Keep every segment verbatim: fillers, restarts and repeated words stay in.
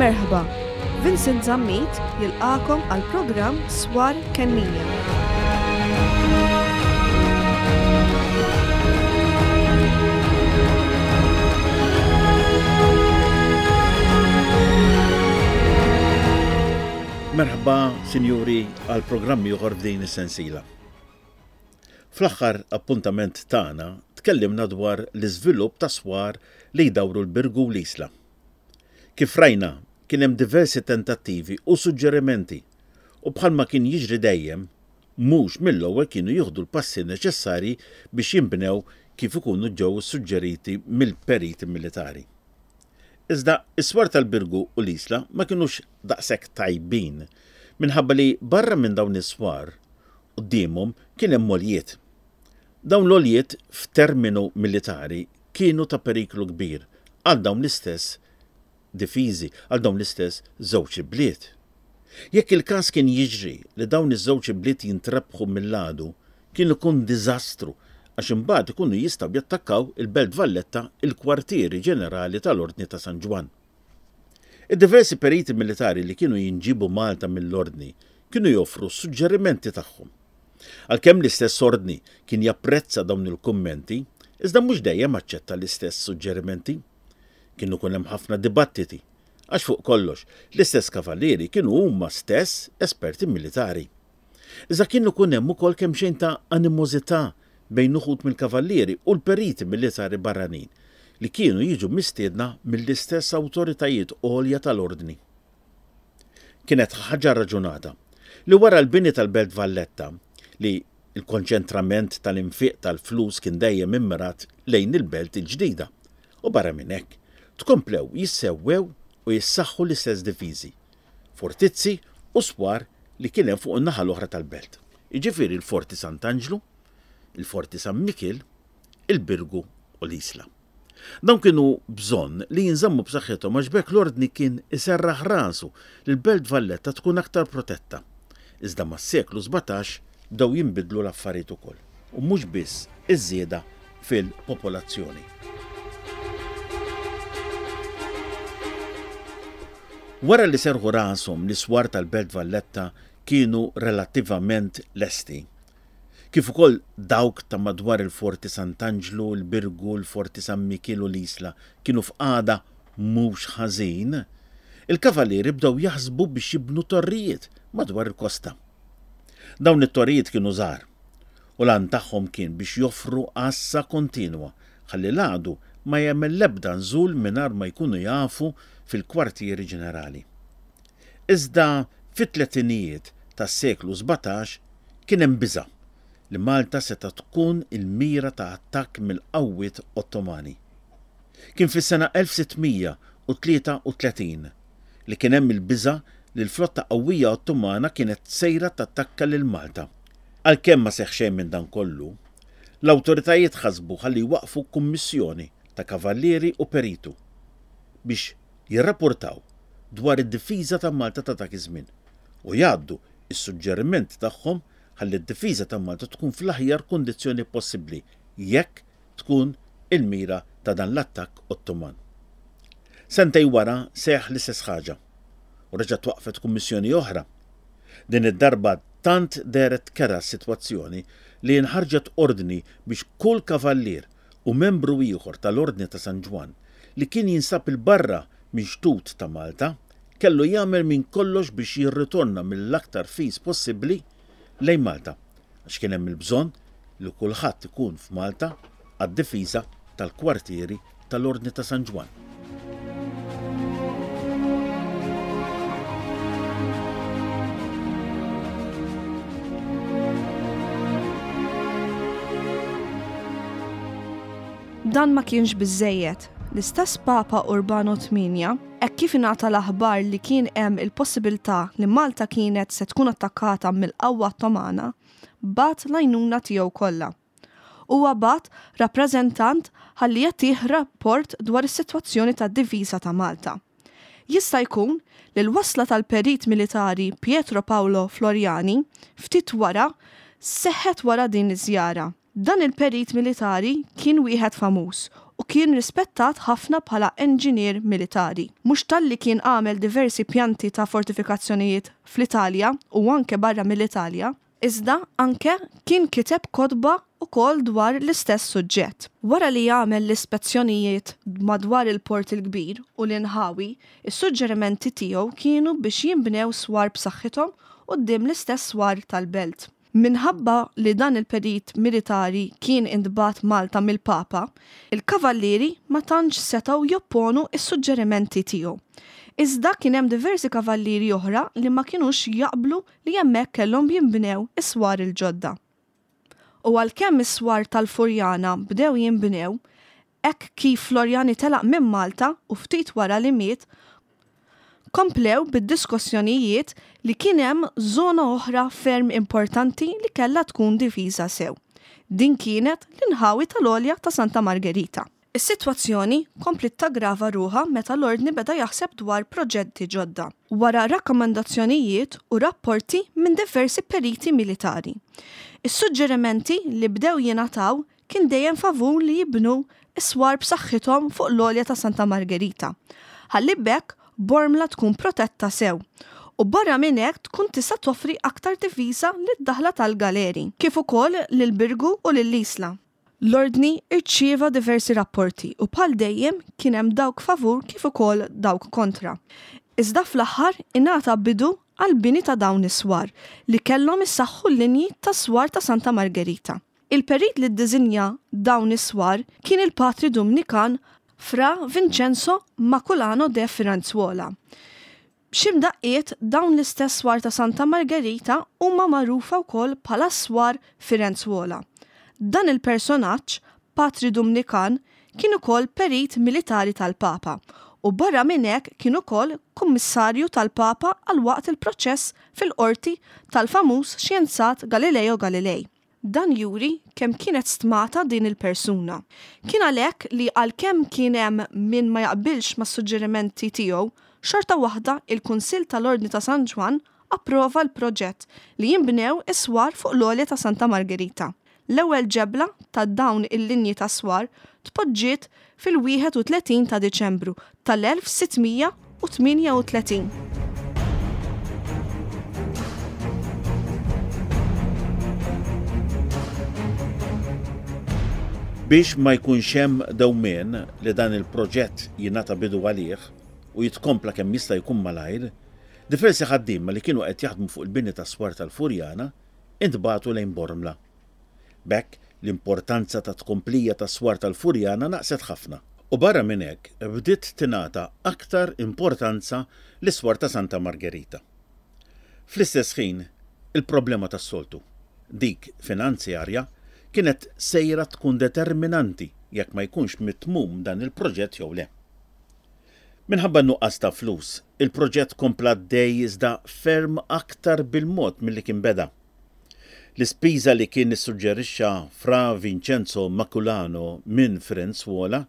Merħba, Vincent Zammit jilqagħkom għal programm Swar Kennija. Merħba, sinjuri, għal programm ieħor f'din is-sensiela. Fl-aħħar appuntament tagħna tkellimna dwar l-iżvilupp ta' swar li jdawru l-Birgu u l-Isla. Kif rajna, kien hemm diversi tentattivi u suġġerimenti u bħalma kien jiġri dejjem, mhux mill-ewwel kienu jieħdu l-passi neċessarji biex jinbnew kif ikunu ġew suġġeriti mill-periti militari. Iżda is-swar tal-Birgu u l-Isla ma kinux daqshekk tajbin minħabba li barra minn dawn is-swar quddiemhom kien hemm għoljiet. Dawn l-għoljiet f'terminu militari kienu ta' periklu kbir għal dawn l-istess difiżi, għal dawn l-istess żewġ ibliet. Jekk il-każ kien jiġri li dawn iż-żewġ ibliet jintrebħu mill-għadu, kien ikun diżastru għax imbagħad ikunu jistgħu jattakkaw il-Belt Valletta, il-kwartieri ġenerali tal-Ordni ta' San Ġwann. Id-diversi periti militari li kienu jinġibu Malta mill-Ordni kienu joffru suġġerimenti tagħhom. Għalkemm l-istess Ordni kien japprezza dawn il-kummenti, iżda mhux dejjem aċċetta l-istess suġġerimenti. Kienu kun hemm ħafna dibattiti, għax fuq kollox l-istess kavallieri kienu huma stess esperti militari. Iżda kienu kun hemm ukoll kemm xejn ta' animożità bejn uħud mill-kavallieri u l-periti militari barranin li kienu jiġu mistiedna mill-istess awtoritajiet għolja tal-Ordni. Kienet ħaġa raġunata li wara l-bini tal-Belt Valletta, li l-konċentrament tal-infiq tal-flus kien dejjem immirat lejn il-belt il-ġdida, u barra minn hekk tkomplew jissewwew u jissaħħu l-istess difiżi, fortizzi u swar li kien hemm fuq in-naħa l-oħra tal-belt. Jiġifieri l-Forti Sant'Anġlu, il-Forti San Mikiel, il-Birgu u l-Isla. Dawn kienu bżonn li jinżammu b'saħħithom għax b'hekk l-Ordni kien iserraħ rasu li l-Belt Valletta tkun aktar protetta. Iżda mas-seklu sbatax bdew jinbidlu l-affarijiet ukoll, u mhux biss iż-żieda fil-popolazzjoni. Wara li serħu rashom li swar tal-Belt Valletta kienu relattivament lesti, kif ukoll dawk ta' madwar il-Forti Sant'Anġlu, il-Birgu, il-Forti San Mikiel u l-Isla kienu f'qagħda mhux ħażin, il-kavallieri bdew jaħsbu biex jibnu torrijiet madwar il-kosta. Dawn it-torrijiet kienu żgħar u l-għan tagħhom kien biex joffru għassa kontinwa ħalli l-għadu ma jagħmel l-ebda nżul mingħajr ma jkunu jafu fil-kwartieri ġenerali. Iżda fit-tletinijiet tas-seklu sbatax kien hemm biża' li Malta seta' tkun il-mira ta' attakk mill-qawwiet Ottomani. Kien fis-sena elf sittmija u tlieta u tletin li kien hemm il-biża' li l-flotta qawwija Ottomana kienet sejra tattakka lil Malta. Għalkemm ma seħħ xejn minn dan kollu, l-awtoritajiet ħasbu ħalli jwaqfu kummissjoni ta' kavallieri u peritu biex jirrapportaw dwar id-difiża ta' Malta ta' dak iż-żmien u jgħaddu is-suġġerimenti tagħhom ħalli d-difiża ta' Malta tkun fl-aħjar kundizzjoni possibbli jekk tkun il-mira ta' dan l-attakk Ottoman. Sentej wara seħħ l-istess ħaġa u reġa' twaqfet kummissjoni oħra. Din id-darba tant dehret kera s-sitwazzjoni li nħarġet ordni biex kull kavallier u membru ieħor tal-Ordni ta' San Ġwann li kien jinsab il-barra minn xtut ta' Malta kellu jagħmel minn kollox biex jirritorna mill-aktar fis possibbli lejn Malta, għax kien hemm il-bżonn li kulħadd ikun f'Malta għad-difiża tal-kwartieri tal-Ordni ta' San Ġwann. Dan ma kienx biżżejjed. L-istess Papa Urbano tmienja, hekk kif ingħata l-aħbar li kien hemm il-possibilità li Malta kienet se tkun attakkata mill-qawwa Ottomana, bagħat l-għajnuna tiegħu kollha. Huwa bagħat rappreżentant ħalli jagħtih rapport dwar is-sitwazzjoni tad-difiża ta' Malta. Jista' jkun li l-wasla tal-perit militari Pietro Paolo Floriani ftit wara seħħet wara din iż-żjara. Dan il-perit militari kien wieħed famuż u kien rispettat ħafna bħala enġinier militari. Mhux talli kien għamel diversi pjanti ta' fortifikazzjonijiet fl-Italja u anke barra mill-Italja, iżda anke kien kiteb kotba ukoll dwar l-istess suġġett. Wara li għamel l-ispezzjonijiet madwar il-Port il-Kbir u l-inħawi, is-suġġerimenti tiegħu kienu biex jinbnew swar b'saħħithom quddiem l-istess swar tal-belt. Minħabba li dan il-perit militari kien intbagħat Malta mill-Papa, il-kavallieri ma tantx setgħu jopponu s-suġġerimenti tiegħu. Iżda kien hemm diversi kavallieri oħra li ma kinux jaqblu li hemmhekk kellhom jinbnew is-swar il-ġodda. U għalkemm is-swar tal-Furjana bdew jinbnew, hekk kif Floriani telaq minn Malta u ftit wara li miet, komplew bid-diskussjonijiet li kien hemm żona oħra ferm importanti li kellha tkun difiża sew. Din kienet l-inħawi tal-għolja ta' Santa Margherita. Is-sitwazzjoni kompliet taggrava ruħha meta l-Ordni beda jaħseb dwar proġetti ġodda, wara rakkomandazzjonijiet u rapporti minn diversi periti militari. Is-suġġerimenti li bdew jingħataw kien dejjem favur li jibnu s-swar b'saħħithom fuq l-għolja ta' Santa Margherita, ħalli b'hekk Bormla tkun protetta sew u barra minn hekk tkun tista' toffri aktar difiża lid-daħla tal-Galeri, kif ukoll lill-Birgu u lill-Isla. L-Ordni rċieva diversi rapporti u bħal dejjem kien hemm dawk favur kif ukoll dawk kontra. Iżda fl-aħħar ingħata bidu għall-bini ta' dawn is-swar li kellhom issaħħu l-linji tas-swar ta' Santa Margherita. Il-perit li ddiżinja dawn is-swar kien il-patri Dumnikan Fra Vincenzo Maculano de Firenzuola. Xi mdaqqiet dawn l-istess swar ta' Santa Margherita huma magħrufa wkoll bħala s-swar Firenzuola. Dan il-personaġġ, patri Dumnikan, kien ukoll perit militari tal-Papa u barra minn hekk kien ukoll kummissarju tal-Papa għal waqt il-proċess fil-qorti tal-famuż xjenzat Galileo Galilei. Dan juri kemm kienet stmata din il-persuna. Kien għalhekk li għalkemm kien hemm min ma jaqbilx mas-suġġerimenti tiegħu, xorta waħda il-Kunsill tal-Ordni ta' San Ġwann approva l-proġett li jinbnew is-swar fuq l-għolja ta' Santa Margherita. L-ewwel ġebla ta' dawn il-linji ta' swar tpoġġiet fil-wieħed u tletin ta' Diċembru tal-elf sitt mija u tmienja u tletin. Biex ma jkunx hemm dewmien li dan il-proġett jingħata bidu għalih u jitkompla kemm jista' jkun malajr, diversi ħaddiema li kienu qed jaħdmu fuq il-bini tas-swar tal-Furjana intbagħtu lejn Bormla. B'hekk l-importanza ta' tkomplija tas-swar tal-Furjana naqset ħafna. U barra minn hekk bdiet tingħata aktar importanza lis-swar ta' Santa Margherita. Fl-istess ħin, il-problema tas-soltu, dik finanzjarja, kienet sejra tkun determinanti jekk ma jkunx mitmum dan il-proġett jew le. Minħabba n-nuqqas ta' flus, il-proġett kompla għaddej iżda ferm aktar bil-mod milli kien beda. L-ispiża li kien issuġġerixxa Fra Vincenzo Maculano minn Firenzuola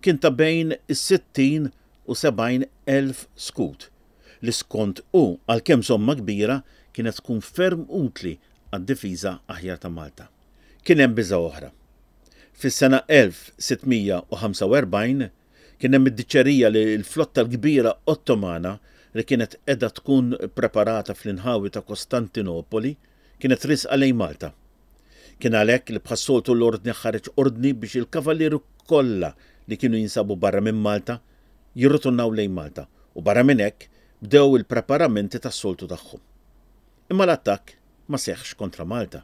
kien ta' bejn is-sittin u sebgħin elf skut, li skont hu għalkemm somma kbira kienet tkun ferm utli għad-difiża aħjar ta' Malta. Kien hemm biża' oħra. Fis-sena elf sitt mija u ħamsa u erbgħin kien hemm id-diċerija li l-flotta l-kbira Ottomana li kienet qiegħda tkun preparata fl-inħawi ta' Kostantinopoli kienet risqa lejn Malta. Kien għalhekk li bħas-soltu l-ordni ħareġ ordni biex il-kavallieri kollha li kienu jinsabu barra minn Malta jirritornaw lejn Malta u barra minn hekk bdew il-preparamenti tas-soltu tagħhom. Imma l-attakk ma seħħx kontra Malta.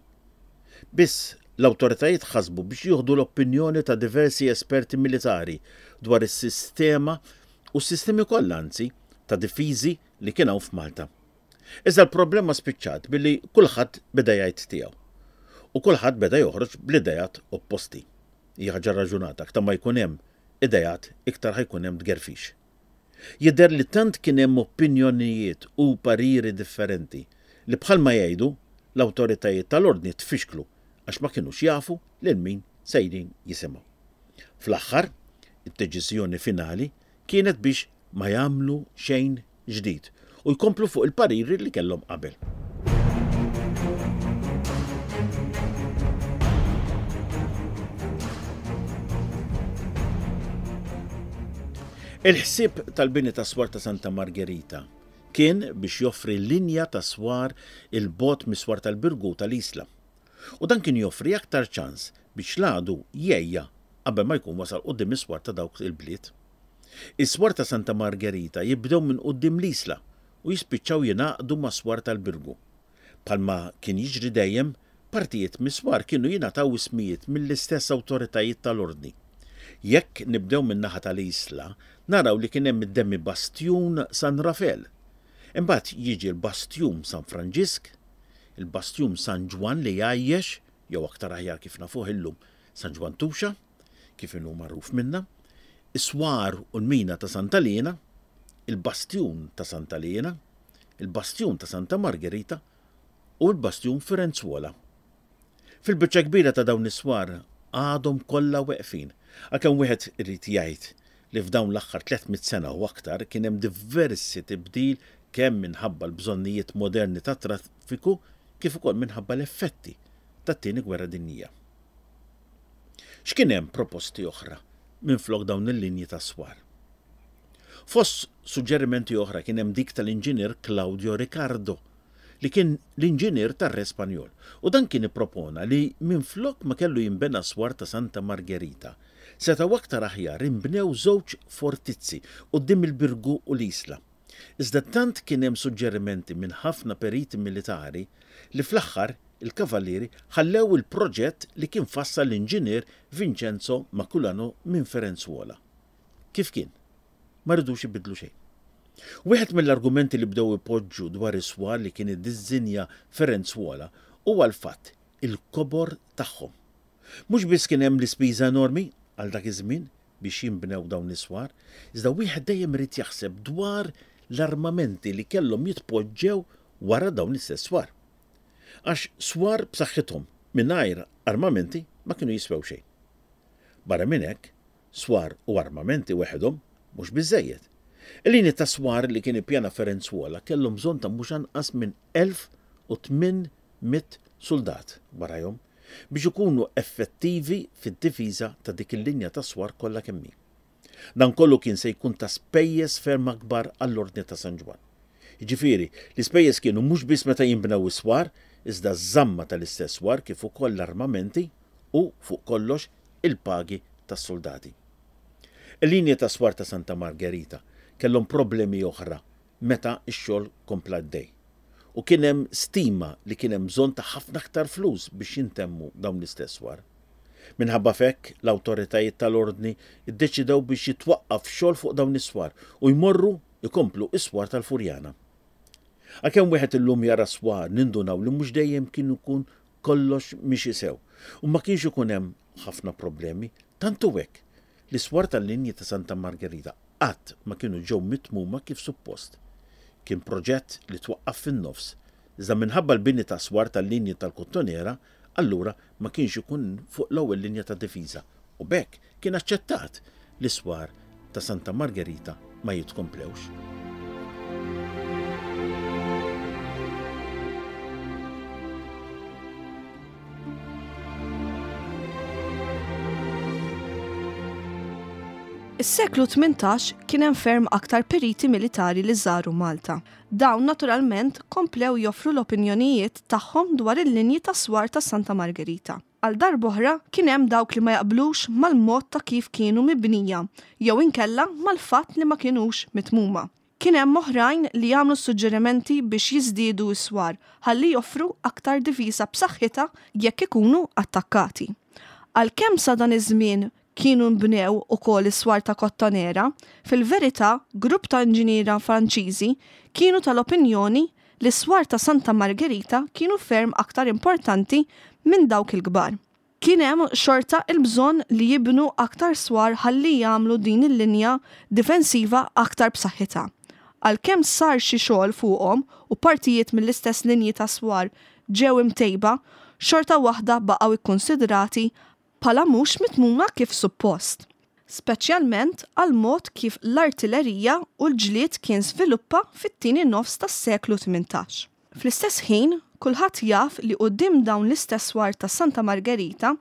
Biss l-awtoritajiet ħasbu biex jieħdu l-opinjoni ta' diversi esperti militari dwar is-sistema u s-sistemi kollha anzi ta' difiżi li kien hawn f'Malta. Iżda l-problema spiċċat billi kulħadd beda jgħid tiegħu u kulħadd beda joħroġ bl-idejat opposti. Hija ħaġa raġunata, aktar ma jkun hemm idejat iktar ħajkun hemm tgerfix. Jidher li tant kien hemm opinjonijiet u pariri differenti li bħalma jgħidu l-awtoritajiet tal-ordni tfixklu għax ma kinux jafu lil min sejrin jisimgħu. Fl-aħħar, id-deċiżjoni finali kienet biex ma jagħmlu xejn ġdid u jkomplu fuq il-pariri li kellhom qabel. Il-ħsieb tal-bini ta' swar ta' Santa Margherita kien biex joffri linja ta' swar 'il bogħod mis-swar tal-Birgu tal-Isla. U dan kien joffri aktar ċans biex l-għadu jgħejja qabel ma jkun wasal quddiem is-swar ta' dawk il-bliet. Is-swar ta' Santa Margherita jibdew minn quddiem l-Isla u jispiċċaw jingħaqdu mas-swar tal-Birgu. Bħalma kien jiġri dejjem, partijiet mis-swar kienu jingħataw ismijiet mill-istess awtoritajiet tal-Ordni. Jekk nibdew min-naħa tal-Isla, naraw li kien hemm id-demi bastjun San Rafel. Imbagħad jiġi l-bastjun San Franġisk, il-bastjun San Ġwann li jgħajjex, jew aktar aħjar kif nafuh illum San Ġwann Tuxa, kif inhu magħruf minna, is-swar u l-mina ta' Santa Liena, il-bastjun ta' Santa Liena, il-bastjun ta' Santa Margherita u l-bastjun Firenzuola. Fil-biċċa kbira ta' dawn is-swar għadhom kollha weqfin, għalkemm wieħed irid jgħid li f'dawn l-aħħar tliet mitt sena u aktar kien hemm diversi tibdil kemm minħabba l-bżonnijiet moderni tat-traffiku kif ukoll minħabba l-effetti tat-Tieni Gwerra Dinjija. X'kien hemm proposti oħra minflok dawn il-linji ta' swar? Fost suġġerimenti oħra kien hemm dik tal-inġinier Claudio Ricardo, li kien l-inġinier tar-Re Spanjol, u dan kien ippropona li minflok ma kellu jinbena swar ta' Santa Margherita, setgħu aktar aħjar inbnew żewġ fortizzi quddiem il-Birgu u l-Isla. Iżda tant kien hemm suġġerimenti minn ħafna periti militari li fl-aħħar il-Kavallieri ħallew il-proġett li kien fassal l-inġinier Vincenzo Maculano minn Firenzuola. Kif kien? Ma ridux ibiddlu xejn. Wieħed mill-argumenti li bdew ipoġġu dwar is-swar li kien iddiżinja Firenzuola huwa l-fatt il-kobor tagħhom. Mhux biss kien hemm l-ispiża enormi għal dak iż-żmien biex jinbnew dawn is-swar, iżda wieħed dejjem irid jaħseb dwar l-armamenti li kellhom jitpoġġew wara dawn l-istess swar. Għax swar b'saħħithom mingħajr armamenti ma kienu jiswew xejn. Barra minn hekk, swar u armamenti weħedhom mhux biżżejjed. Il-linji ta' swar li kien ippjana Firenzuola kellhom bżonn ta' mhux anqas minn elf u tmien mitt soldat warajhom biex ikunu effettivi fid-difiża ta' dik il-linja ta' swar kollha kemm hi. Dan kollu kien se jkun ta' spejjeż ferm akbar għall-Ordni ta' San Ġwann. Jiġifieri, l-ispejjeż kienu mhux biss meta jinbnew is-swar, iżda ż-żamma tal-istess swar kif ukoll l-armamenti u, fuq kollox, il-pagi tas-soldati. Il-linji ta' swar ta' Santa Margherita kellhom problemi oħra meta x-xogħol kompla għaddej. U kien hemm stima li kien hemm bżonn ta' ħafna aktar flus biex jintemmu dawn l-istess swar. Minħabba f'hekk, l-awtoritajiet tal-ordni ddeċidew biex jitwaqqaf xogħol fuq dawn is-swar u jmorru jkomplu is-swar tal-Furjana. Għalkemm wieħed illum jara swar nindunaw li mhux dejjem kien ikun kollox mixi sew u ma kienx ikun hemm ħafna problemi, tant hu hekk li swar tal-linji ta' Santa Margherita qatt ma kienu ġew mitmuma kif suppost. Kien proġett li twaqqaf fin-nofs, iżda minħabba l-bini ta' swar tal-linji tal-Kottonera, allura ma kienx ikun fuq l-ewwel linja ta' difiża u b'hekk kien aċċettat li swar ta' Santa Margherita ma jitkomplewx. Is-seklu tmintax kien hemm ferm aktar periti militari li żaru Malta. Dawn naturalment komplew joffru l-opinjonijiet tagħhom dwar il-linji ta' swar ta' Santa Margherita. Għal darb'oħra kien hemm dawk li ma jaqblux mal-mod ta' kif kienu mibnija jew inkella mal-fatt li ma kinux mitmuma. Kien hemm oħrajn li jagħmlu suġġerimenti biex jiżdiedu s-swar ħalli joffru aktar difiża b'saħħitha jekk ikunu attakkati. Għalkemm sa dan iż-żmien kienu nbnew ukoll is-swar ta' Kottonera, fil-verità grupp ta' inġiniera Franċiżi kienu tal-opinjoni li s-swar ta' Santa Margherita kienu ferm aktar importanti minn dawk il-kbar. Kien hemm xorta il-bżonn li jibnu aktar swar ħalli jagħmlu din il-linja difensiva aktar b'saħħitha. Għalkemm sar xi xogħol fuqhom u partijiet mill-istess linji ta' swar ġew imtejba, xorta waħda baqgħu ikkonsidrati bħala mhux mitmuma kif suppost, speċjalment għal mod kif l-artillerija u l-ġlied kien sviluppa fit-tieni nofs tas-seklu tmintax. Fl-istess ħin, Kulħadd jaf li quddiem dawn l-istess swar ta' Santa Margherita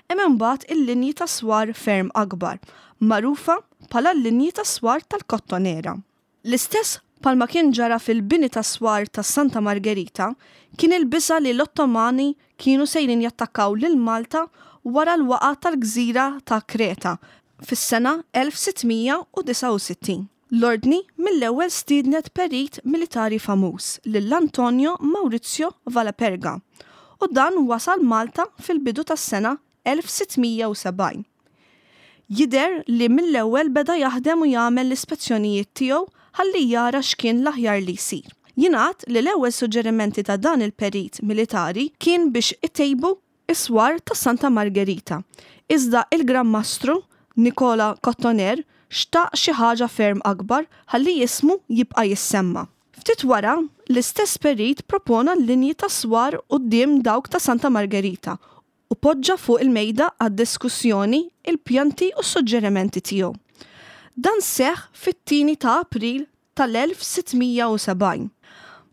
hemm imbagħad il-linji ta' swar ferm akbar, magħrufa bħala l-linji ta' swar tal-Kottonera. L-istess bħalma kien ġara fil-bini ta' swar ta' Santa Margherita, kien il-biża' li l-Ottomani kienu sejrin jattakkaw lil Malta wara l-waqgħa tal-gżira ta' Kreta fis-sena elf sitt mija u disgħa u sittin. L-Ordni mill-ewwel stiednet perit militari famuż lil Antonio Maurizio Valaperga u dan wasal Malta fil-bidu tas-sena elf sitt mija u sebgħin. Jidher li mill-ewwel beda jaħdem u jagħmel l-ispezzjonijiet tiegħu ħalli jara x'kien l-aħjar li jsir. Jingħad li l-ewwel suġġerimenti ta' dan il-perit militari kien biex itejbu is-swar ta' Santa Margherita. Iżda il-Gran Mastru Nicola Cotoner xtaq xi ħaġa ferm akbar ħalli jismu jibqa' jissemma. Ftit wara, l-istess perit propona l-linji ta' swar quddiem dawk ta' Santa Margherita u poġġa fuq il-mejda għad-diskussjoni il-pjanti u s-suġġerimenti tiegħu. Dan seħħ fit-tieni ta' April tal-elf sitt mija u sebgħin.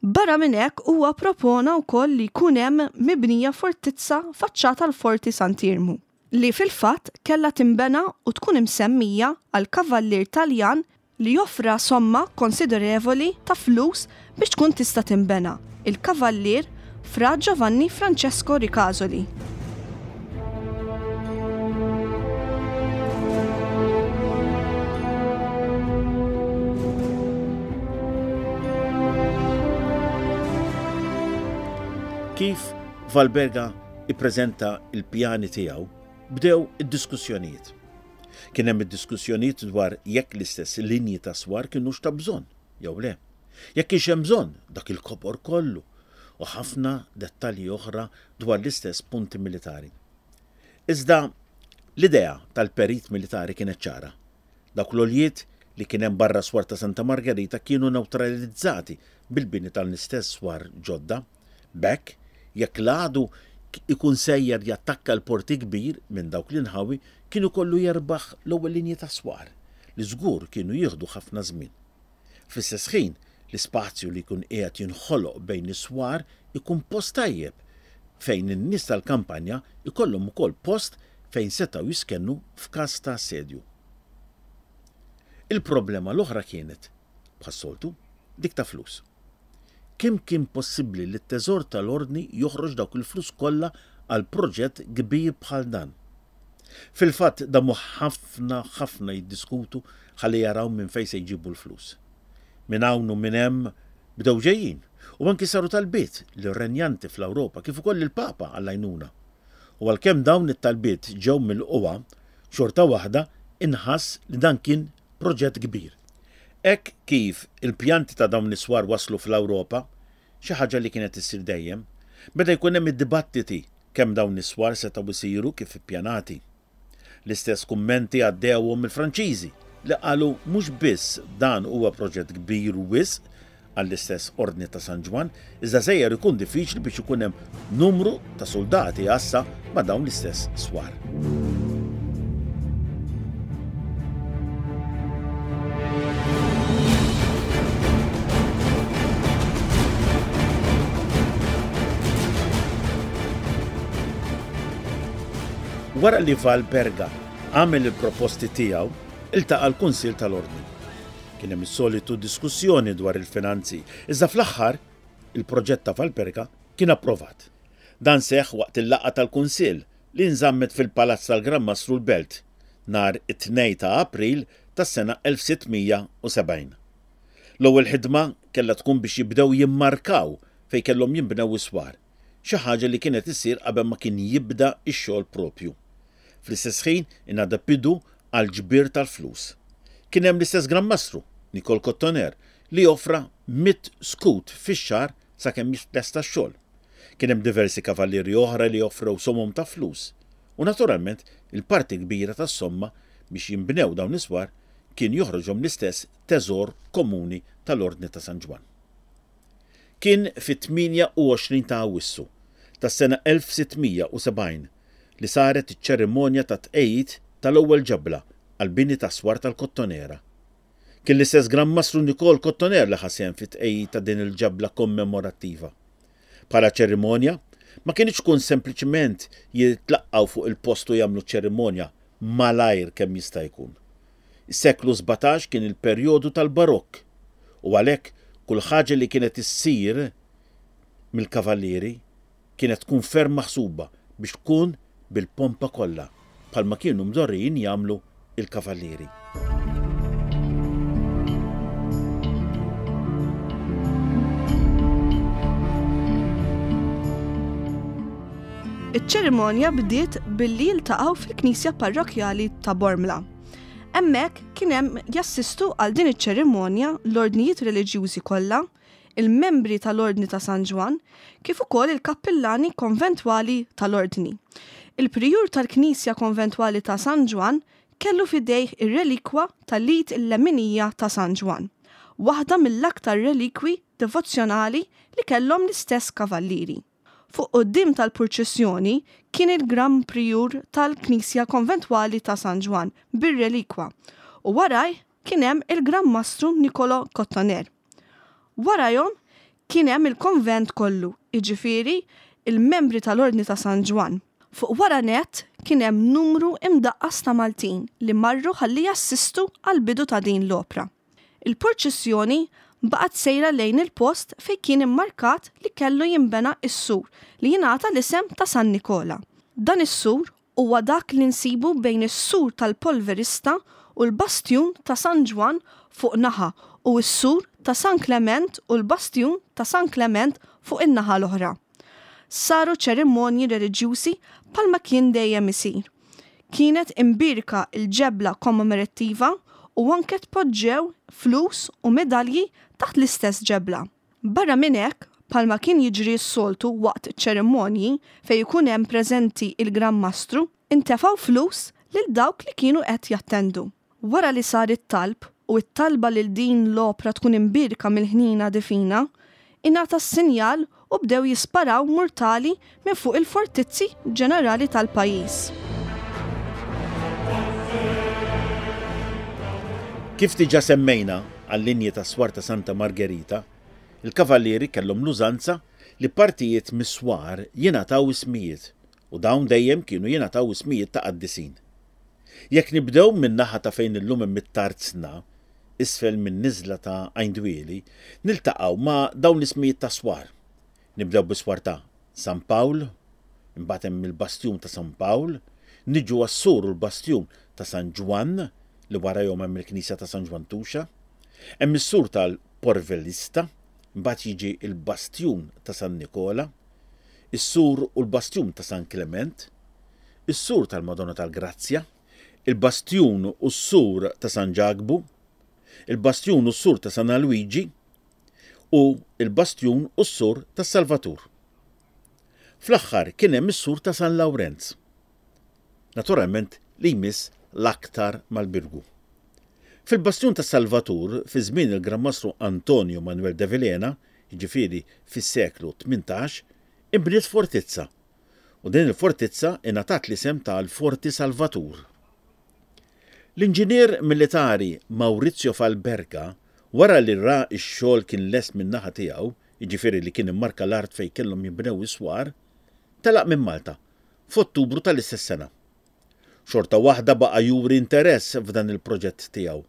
Barra minn hekk huwa propona wkoll li jkun hemm mibnija fortizza faċċata l-Forti Sant'Iermu, li fil-fatt kellha tinbena u tkun imsemmija għal kavallier Taljan li joffra somma konsiderevoli ta' flus biex tkun tista' tinbena, il-kavallier Fra Giovanni Francesco Ricasoli. Kif Valperga ippreżenta il-pjani tiegħu, bdew id-diskussjonijiet. Kien hemm id-diskussjonijiet dwar jekk l-istess linji ta' swar kienux ta' bżonn jew le. Jekk kienx hemm bżonn dak il-kobor kollu u ħafna dettalji oħra dwar l-istess punti militari. Iżda l-idea tal-perit militari kienet ċara. Dawk l-oljiet li kien hemm barra swar ta' Santa Margherita kienu neutralizzati bil-bini tal-istess swar ġodda. B'hekk, jekk l-għadu ikun sejjer jattakka l-porti kbir minn dawk l-inħawi, kienu kollu jerbaħ l-ewwel linji ta' swar li żgur kienu jieħdu ħafna żmien. Fl-istess ħin, l-ispazju li jkun qiegħed jinħoloq bejn is-swar ikun post tajjeb fejn in-nies tal-kampanja ikollhom ukoll post fejn setgħu jiskennu f'każ ta' assedju. Il-problema l-oħra kienet, bħas-soltu, dik ta' flus. Kemm kien possibbli li t-teżor tal-ordni joħroġ dawk il-flus kollha għal proġett kbir bħal dan? Fil-fatt damu ħafna ħafna jiddiskutu ħalli jaraw minn fejn se jġibu l-flus. Minn hawn u minn hemm bdew ġejjin u anki saru talbiet lir-renjanti fl-Ewropa kif ukoll il-Papa għall-għajnuna. U għalkemm dawn it-talbiet ġew mill-qwa, xorta waħda inħass li dan kien proġett kbir. Hekk kif il-pjanti ta' dawn is-swar waslu fl-Ewropa, xi ħaġa li kienet issir dejjem, beda jkun hemm id-dibattiti kemm dawn is-swar setgħu jsiru kif ippjanati. L-istess kummenti għaddewhom il-Franċiżi li qalu mhux biss dan huwa proġett kbir wisq għall-istess Ordni ta' San Ġwann, iżda sejjer ikun diffiċli biex ikun hemm numru ta' soldati għassa ma' dawn l-istess swar. Wara li Valperga għamel il-proposti tiegħu, iltaqa' l-Kunsill tal-Ordni. Kien hemm is-solitu diskussjoni dwar il-finanzi, iżda fl-aħħar il-proġett ta' Valperga kien approvat. Dan seħħ waqt il-laqgħa tal-Kunsill li nżammet fil-Palazz tal-Gran Mastru l-Belt nhar it-tnejn ta' April tas-sena elf sitt mija u sebgħin. L-ewwel ħidma kellha tkun biex jibdew jimmarkaw fejn kellhom jinbnew is-swar, xi ħaġa li kienet issir qabel ma kien jibda x-xogħol propju. Fl-istess ħin ingħadha bidu għal ġbir tal-flus. Kien hemm l-istess Gran Mastru, Nicole Cotoner, li offra mitt skut fix-xahar sakemm jitlesta x-xogħol. Kien hemm diversi kavallieri oħra li offrew somom ta' flus. U naturalment il-parti kbira tas-somma biex jinbnew dawn is-swar kien joħroġhom l-istess teżor komuni tal-Ordni ta' San Ġwann. Kien fit-tmienja u għoxrin ta' Awwissu tas-sena elf sitt mija u sebgħin li saret iċ-ċerimonja ta' tqejjid tal-ewwel ġebla għall-bini ta' swar tal-Kottonera. Kien l-istess Gran Mastru Nicole Cotoner li ħa sehem fit-tqejjid ta' din il-ġebla kommemorattiva. Bħala ċerimonja, ma kinitx tkun sempliċement jitlaqqgħu fuq il-post u jagħmlu ċerimonja malajr kemm jista' jkun. Is-seklu sbatax kien il-perjodu tal-Barokk u għalhekk kull ħaġa li kienet issir mill-kavallieri kienet tkun ferm maħsuba biex tkun bil-pompa kollha bħalma kienu mdorrijin jagħmlu il-kavallieri. Iċ-ċerimonja bdiet billi jiltaqgħu fil-Knisja Parrokkjali ta' Bormla. Hemmhekk kien hemm jassistu għal din iċ-ċerimonja l-ordnijiet reliġjużi kollha, il-membri tal-Ordni ta' San Ġwann, kif ukoll il-kappillani konventwali tal-Ordni. Il-prijur tal-Knisja Konventwali ta' San Ġwann kellu f'idejh ir-relikwa tal-id il-leminija ta' San Ġwann, waħda mill-aktar relikwi devozzjonali li kellhom l-istess kavallieri. Fuq quddiem tal-purċissjoni kien il-Gran Prijur tal-Knisja Konventwali ta' San Ġwann bir-relikwa u waraj kien hemm il-Gran Mastru Niccolò Cottoner. Warajhom kien hemm il-konvent kollu, jiġifieri il-membri tal-Ordni ta' San Ġwann. Fuq wara nett kien hemm numru imdaqqas ta' Maltin li marru ħalli jassistu għall-bidu ta' din l-opra. Il-purċissjoni baqgħet sejra lejn il-post fejn kien immarkat li kellu jinbena s-sur li jingħata l-isem ta' San Nikola. Dan is-sur huwa dak li nsibu bejn is-sur tal-Polverista u l-bastjun ta' San Ġwann fuq naħa u s-sur ta' San Klement u l-bastjun ta' San Klement fuq in-naħa l-oħra. Saru ċerimonji reliġjużi bħalma kien dejjem isir. Kienet imbierka l-ġebla kommemorattiva u anke tpoġġew flus u medalji taħt l-istess ġebla. Barra minn hekk, bħalma kien jiġri s-soltu waqt ċerimonji fejn ikun hemm preżenti il-Gran Mastru, intefgħu flus lil dawk li kienu qed jattendu. Wara li sar it-talb u t-talba lil din l-opra tkun imbierka mill-ħnina divina, ingħata s-sinjal u bdew jisparaw murtali minn fuq il-fortizzi ġenerali tal-pajjiż. Kif diġà semmejna għal-linji ta' swar ta' Santa Margherita, il-kavallieri kellhom l-użanza li partijiet mis-swar jingħataw ismijiet u dawn dejjem kienu jingħataw ismijiet ta' qaddisin. Jekk nibdew min-naħa ta' fejn illum hemm it-tarzna, isfel minn niżla ta' Għajndwieli, niltaqgħu ma' dawn l-ismijiet ta' swar. Nibdew bis-swar ta' San Pawl, imbagħad hemm il-bastjun ta' San Pawl, niġu għas-sur u l-bastjun ta' San Ġwann, li warajhom hemm il-Knisja ta' San Ġwann Tuxa, hemm is-sur tal-Porvelista, imbagħad jiġi l-bastjun ta' San Nikola, is-sur u l-bastjun ta' San Klement, is-sur tal-Madonna tal-Grazzja, il-bastjun u s-sur ta' San Ġakbu, il-bastjun u s-sur ta' San Alwiġi u il-bastjun u s-sur ta' Salvatur. Fl-aħħar kien hemm is-sur ta' San Lawrenz. Naturalment li jmiss l-aktar mal-Birgu. Fil-bastjun ta' Salvatur, fi żmien il-Gran Mastru Antonio Manuel de Vilhena, jiġifieri fis-seklu tmintax, inbniet fortizza u din il-fortizza ingħatat l-isem tal-Forti Salvatur. L-inġinier militari Maurizio Falberga, wara li ra x-xogħol kien lest min-naħa tiegħu, jiġifieri li kien immarka l-art fejn kellhom jinbnew is-swar, telaq minn Malta f'Ottubru tal-istess sena. Xorta waħda baqa' juri interess f'dan il-proġett tiegħu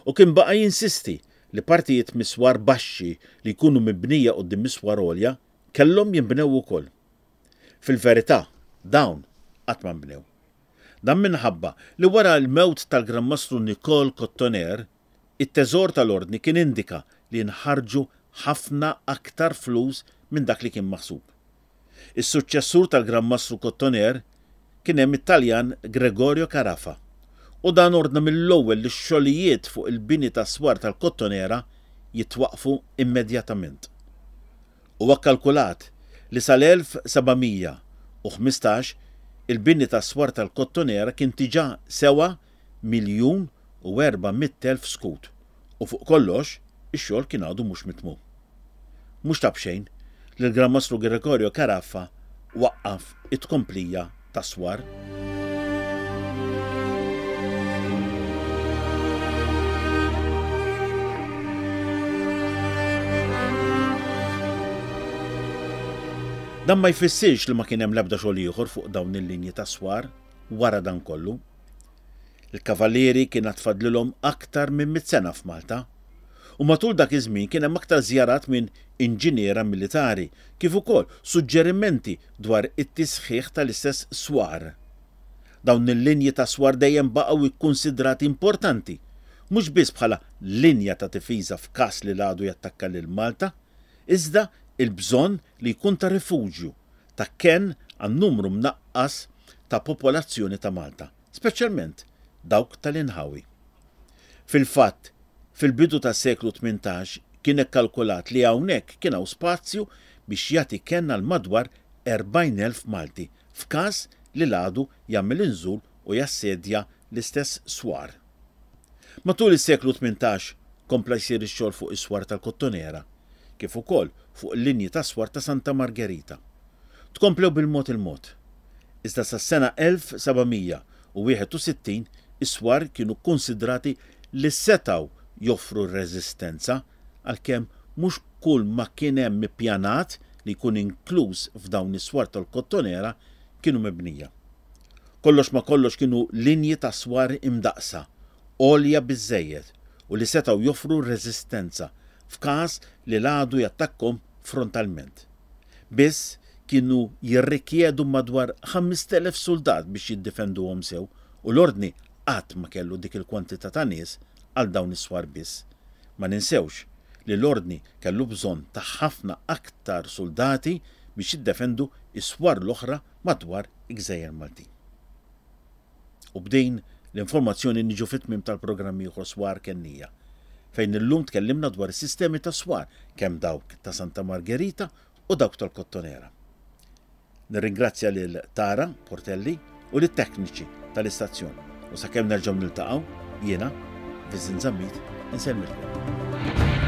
u kien baqa' jinsisti li partijiet miswar baxxi li jkunu mibnija quddiem miswar għolja kellhom jinbnew ukoll. Fil-verità, dawn qatt ma nbnew. Dan minħabba li wara l-mewt tal-Gran Mastru Nicole Cottoner, it-teżor tal-ordni kien indika li nħarġu ħafna aktar flus minn dak li kien maħsub. Is-suċċessur tal-Gran Mastru Cottoner kien hemm it-Taljan Gregorio Carafa u dan ordna mill-ewwel li x-xogħlijiet fuq il-bini tas-swar tal-Kottonera jitwaqfu immedjatament. Huwa kkalkulat li sal-elf seba' mija u ħmistax il-bini tas-swar tal-Kottonera kien diġà sewa miljun u erba' mitt elf skut u fuq kollox ix-xogħol kien għadu mhux mitmum. Mhux ta' b'xejn li l-Gran Mastru Gregorio Carafa waqqaf it-tkomplija tas-swar. Dan ma jfissirx li ma kien hemm l-ebda xogħol ieħor fuq dawn il-linji ta' swar wara dan kollu. Il-Kavallieri kien għad fadlilhom aktar minn mitt sena f'Malta. U matul dak iż-żmien kien hemm aktar żjarat minn inġiniera militari, kif ukoll suġġerimenti dwar it-tisħiħ tal-istess swar. Dawn il-linji ta' swar dejjem baqgħu ikkunsidrati importanti, mhux biss bħala linja ta' difiża f'każ li l-għadu jattakka lil Malta, iżda il-bżonn li jkun ta' rifuġju, ta' kenn għan numru mnaqqas ta' popolazzjoni ta' Malta, speċjalment dawk tal-inħawi. Fil-fatt, fil-bidu tas-seklu tmintax kien ikkalkulat li hawnhekk kien hawn spazju biex jagħti kenn għal madwar erbgħin elf Malti f'każ li l-għadu jagħmel inżul u jassedja l-istess swar. Matul is-seklu tmintax kompla jsir ix-xogħol fuq is-swar tal-Kottonera, kif ukoll fuq il-linji ta' swar ta' Santa Margherita. Tkomplew bil-mod il-mod. Iżda sas-sena elf seba' mija u wieħed u sittin is-swar kienu kkunsidrati li setgħu joffru r-reżistenza, għalkemm mhux kull ma kien hemm ippjanat li jkun inkluż f'dawn is-swar tal-Kottonera kienu mibnija. Kollox ma kollox kienu linji ta' swar imdaqsa, għolja biżżejjed u li setgħu joffru reżistenza f'każ li l-għadu jattakkom frontalment. Biss kienu jirrikjedu madwar ħamest elef soldat biex jiddefenduhom sew u l-ordni qatt ma kellu dik il-kwantità ta' nies għal dawn is-swar biss. Ma ninsewx li l-ordni kellu bżonn ta' ħafna aktar soldati biex jiddefendu is-swar l-oħra madwar il-Gżejjer Maltin. U b'din l-informazzjoni niġu fit-tmiem tal-programm ieħor Swar Kennija, fejn illum tkellimna dwar is-sistemi ta' swar, kemm dawk ta' Santa Margherita u dawk tal-Kottonera. Nirringrazzja lil Tara Portelli u lit-tekniċi tal-istazzjon. U sakemm nerġgħu niltaqgħu, jiena, Viżin Zammit, insellmilkom.